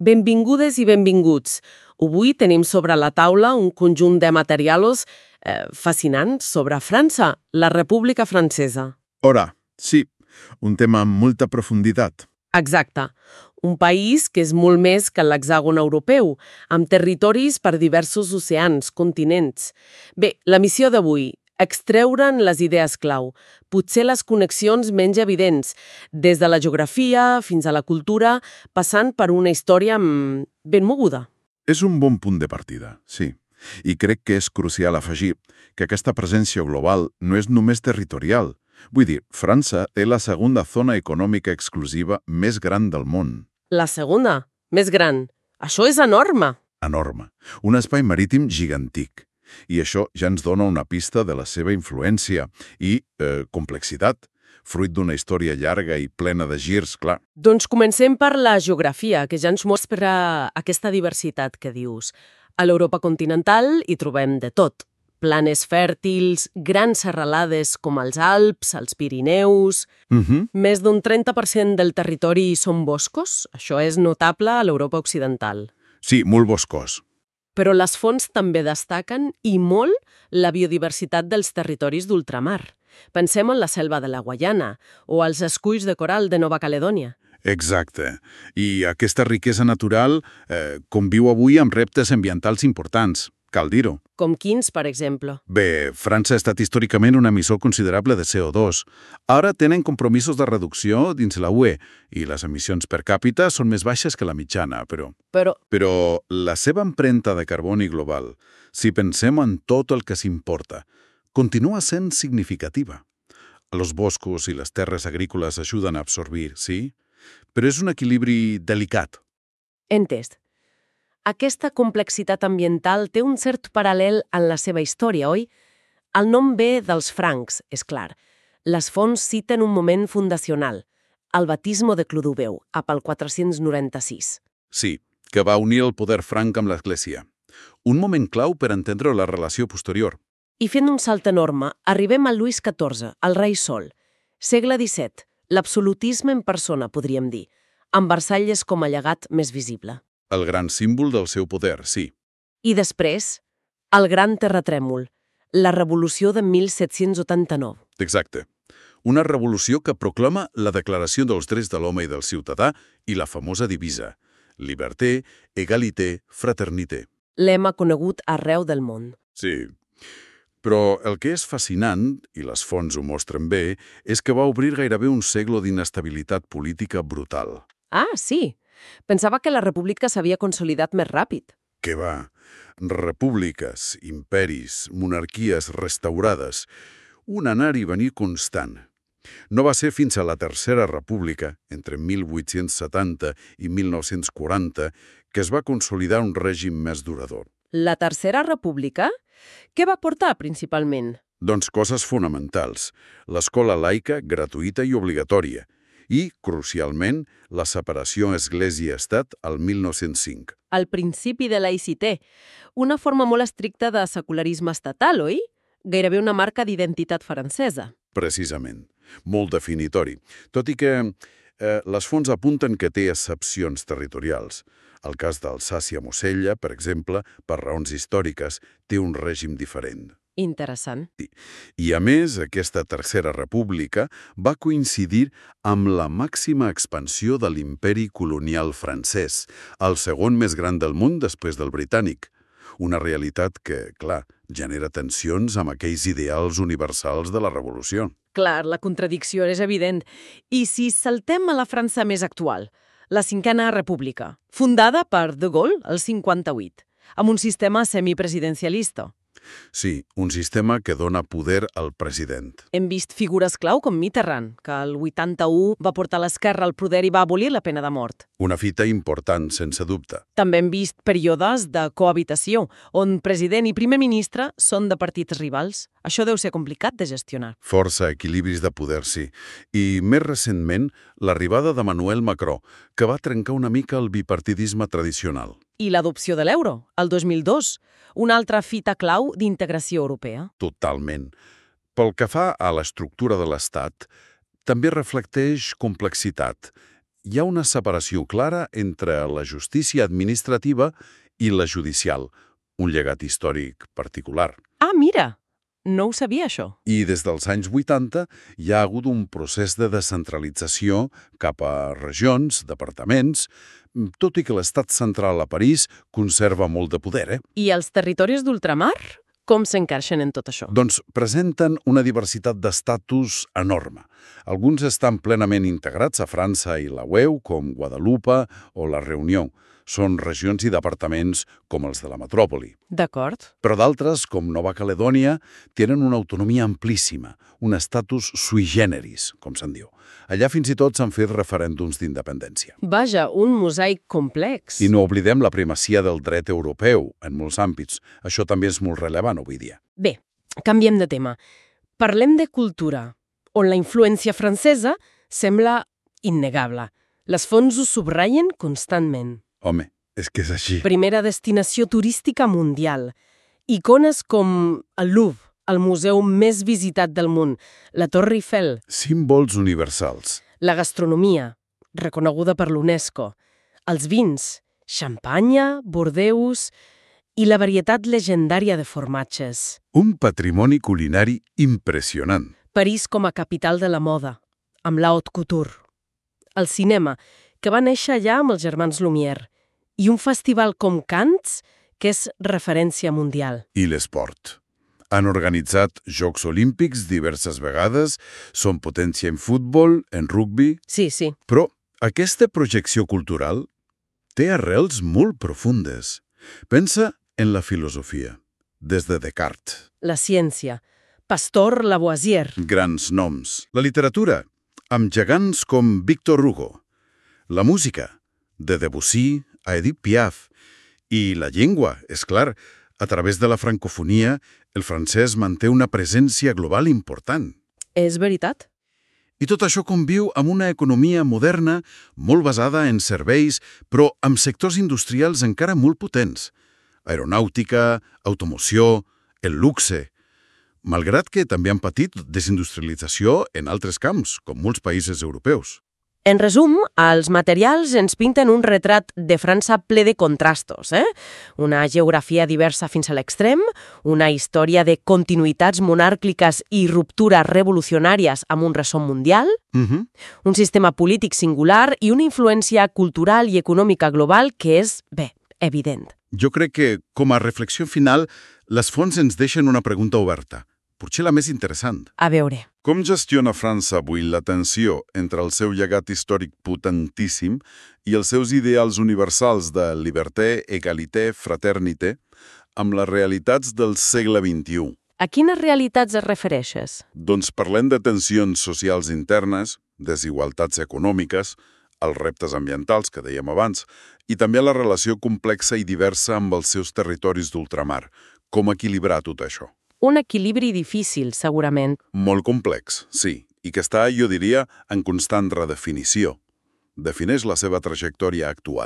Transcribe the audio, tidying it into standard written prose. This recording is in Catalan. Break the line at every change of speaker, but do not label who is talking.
Benvingudes i benvinguts. Avui tenim sobre la taula un conjunt de materials fascinants sobre França, la República Francesa.
Ora, sí, un tema amb molta profunditat.
Exacte. Un país que és molt més que l'hexàgon europeu, amb territoris per diversos oceans, continents. Bé, la missió d'avui, extreure'n les idees clau, potser les connexions menys evidents, des de la geografia fins a la cultura, passant per una història ben moguda.
És un bon punt de partida, sí. I crec que és crucial afegir que aquesta presència global no és només territorial. Vull dir, França té la segona zona econòmica exclusiva més gran del món.
La segona, més gran. Això és enorme.
Enorme. Un espai marítim gigantic. I això ja ens dona una pista de la seva influència i complexitat, fruit d'una història llarga i plena de girs, clar.
Doncs comencem per la geografia, que ja ens mostra aquesta diversitat que dius. A l'Europa continental hi trobem de tot. Planes fèrtils, grans serralades com els Alps, els Pirineus... Més d'un 30% del territori són boscos. Això és notable a l'Europa occidental.
Sí, molt boscós.
Però les fonts també destaquen, i molt, la biodiversitat dels territoris d'ultramar. Pensem en la selva de la Guaiana o els esculls de coral de Nova Caledònia.
Exacte. I aquesta riquesa natural conviu avui amb reptes ambientals importants, cal dir-ho.
Com quins, per exemple?
Bé, França ha estat històricament un emissor considerable de CO2. Ara tenen compromisos de reducció dins la UE i les emissions per càpita són més baixes que la mitjana, però la seva empremta de carboni global, si pensem en tot el que s'importa, continua sent significativa. Els boscos i les terres agrícoles ajuden a absorbir, sí? Però és un equilibri delicat.
Entès. Aquesta complexitat ambiental té un cert paral·lel en la seva història, oi? El nom ve dels francs, és clar. Les fonts citen un moment fundacional, el batismo de Clodoveu, el 496.
Sí, que va unir el poder franc amb l'Església. Un moment clau per entendre la relació posterior.
I fent un salt enorme, arribem a Lluís XIV, el rei Sol. Segle XVII, l'absolutisme en persona, podríem dir, amb Versalles com a llegat més visible.
El gran símbol del seu poder, sí.
I després, el gran terratrèmol, la revolució de 1789.
Exacte. Una revolució que proclama la Declaració dels Drets de l'Home i del Ciutadà i la famosa divisa Liberté, Égalité, Fraternité.
Lema conegut arreu del món.
Sí. Però el que és fascinant, i les fonts ho mostren bé, és que va obrir gairebé un segle d'inestabilitat política brutal.
Ah, sí. Pensava que la república s'havia consolidat més ràpid.
Què va? Repúbliques, imperis, monarquies restaurades, un anar i venir constant. No va ser fins a la Tercera República, entre 1870 i 1940, que es va consolidar un règim més durador.
La Tercera República? Què va portar, principalment?
Doncs coses fonamentals. L'escola laica, gratuïta i obligatòria. I, crucialment, la separació Església-Estat al 1905.
El principi de laïcité, una forma molt estricta de secularisme estatal, oi? Gairebé una marca d'identitat francesa.
Precisament. Molt definitori. Tot i que les fonts apunten que té excepcions territorials. El cas d'Alsàcia-Mosella, per exemple, per raons històriques, té un règim diferent.
Interessant.
I, a més, aquesta Tercera República va coincidir amb la màxima expansió de l'imperi colonial francès, el segon més gran del món després del britànic. Una realitat que, clar, genera tensions amb aquells ideals universals de la Revolució.
Clar, la contradicció és evident. I si saltem a la França més actual, la Cinquena República, fundada per De Gaulle el 58, amb un sistema semipresidencialista.
Sí, un sistema que dona poder al president.
Hem vist figures clau com Mitterrand, que el 81 va portar l'esquerra al poder i va abolir la pena de mort.
Una fita important, sense dubte.
També hem vist períodes de cohabitació, on president i primer ministre són de partits rivals. Això deu ser complicat de gestionar.
Força equilibris de poder, sí. I, més recentment, l'arribada de Emmanuel Macron, que va trencar una mica el bipartidisme tradicional.
I l'adopció de l'euro, el 2002, una altra fita clau d'integració europea.
Totalment. Pel que fa a l'estructura de l'Estat, també reflecteix complexitat. hi ha una separació clara entre la justícia administrativa i la judicial, un llegat històric particular.
Ah, mira! No ho sabia, això.
I des dels anys 80 hi ha hagut un procés de descentralització cap a regions, departaments, tot i que l'estat central a París conserva molt de poder,
I els territoris d'ultramar? Com s'encaixen en tot això?
Doncs presenten una diversitat d'estatus enorme. Alguns estan plenament integrats a França i la UE, com Guadalupe o la Reunió. Són regions i departaments com els de la metròpoli.
D'acord.
Però d'altres, com Nova Caledònia, tenen una autonomia amplíssima, un estatus sui generis, com se'n diu. Allà fins i tot s'han fet referèndums d'independència.
Vaja, un mosaic complex.
I no oblidem la primacia del dret europeu en molts àmbits. Això també és molt rellevant avui dia.
Bé, canviem de tema. Parlem de cultura, on la influència francesa sembla innegable. Les fonts ho subratllen constantment.
Home, és que és així.
Primera destinació turística mundial. Icones com el Louvre, el museu més visitat del món, la Torre Eiffel.
Símbols universals.
La gastronomia, reconeguda per l'UNESCO. Els vins, xampanya, Bordeus i la varietat legendària de formatges.
Un patrimoni culinari impressionant.
París com a capital de la moda, amb la haute couture. El cinema, que va néixer allà amb els germans Lumière. I un festival com Cannes, que és referència mundial.
I l'esport. Han organitzat Jocs Olímpics diverses vegades, són potència en futbol, en rugbi...
Sí.
Però aquesta projecció cultural té arrels molt profundes. Pensa en la filosofia, des de Descartes.
La ciència, Pasteur, Lavoisier.
Grans noms. La literatura, amb gegants com Victor Hugo. La música, de Debussy a Edith Piaf. I la llengua, és clar, a través de la francofonia, el francès manté una presència global important.
És veritat?
I tot això conviu amb una economia moderna, molt basada en serveis, però amb sectors industrials encara molt potents. Aeronàutica, automoció, el luxe. Malgrat que també han patit desindustrialització en altres camps, com molts països europeus.
En resum, els materials ens pinten un retrat de França ple de contrastos, Una geografia diversa fins a l'extrem, una història de continuïtats monàrquiques i ruptures revolucionàries amb un ressò mundial, un sistema polític singular i una influència cultural i econòmica global que és, evident.
Jo crec que, com a reflexió final, les fonts ens deixen una pregunta oberta, potser la més interessant.
A veure.
Com gestiona França avui la tensió entre el seu llegat històric potentíssim i els seus ideals universals de liberté, égalité, fraternité amb les realitats del segle XXI?
A quines realitats es refereixes?
Doncs parlem de tensions socials internes, desigualtats econòmiques, els reptes ambientals que dèiem abans, i també la relació complexa i diversa amb els seus territoris d'ultramar. Com equilibrar tot això?
Un equilibri difícil, segurament.
Molt complex, sí, i que està, jo diria, en constant redefinició. Defineix la seva trajectòria actual.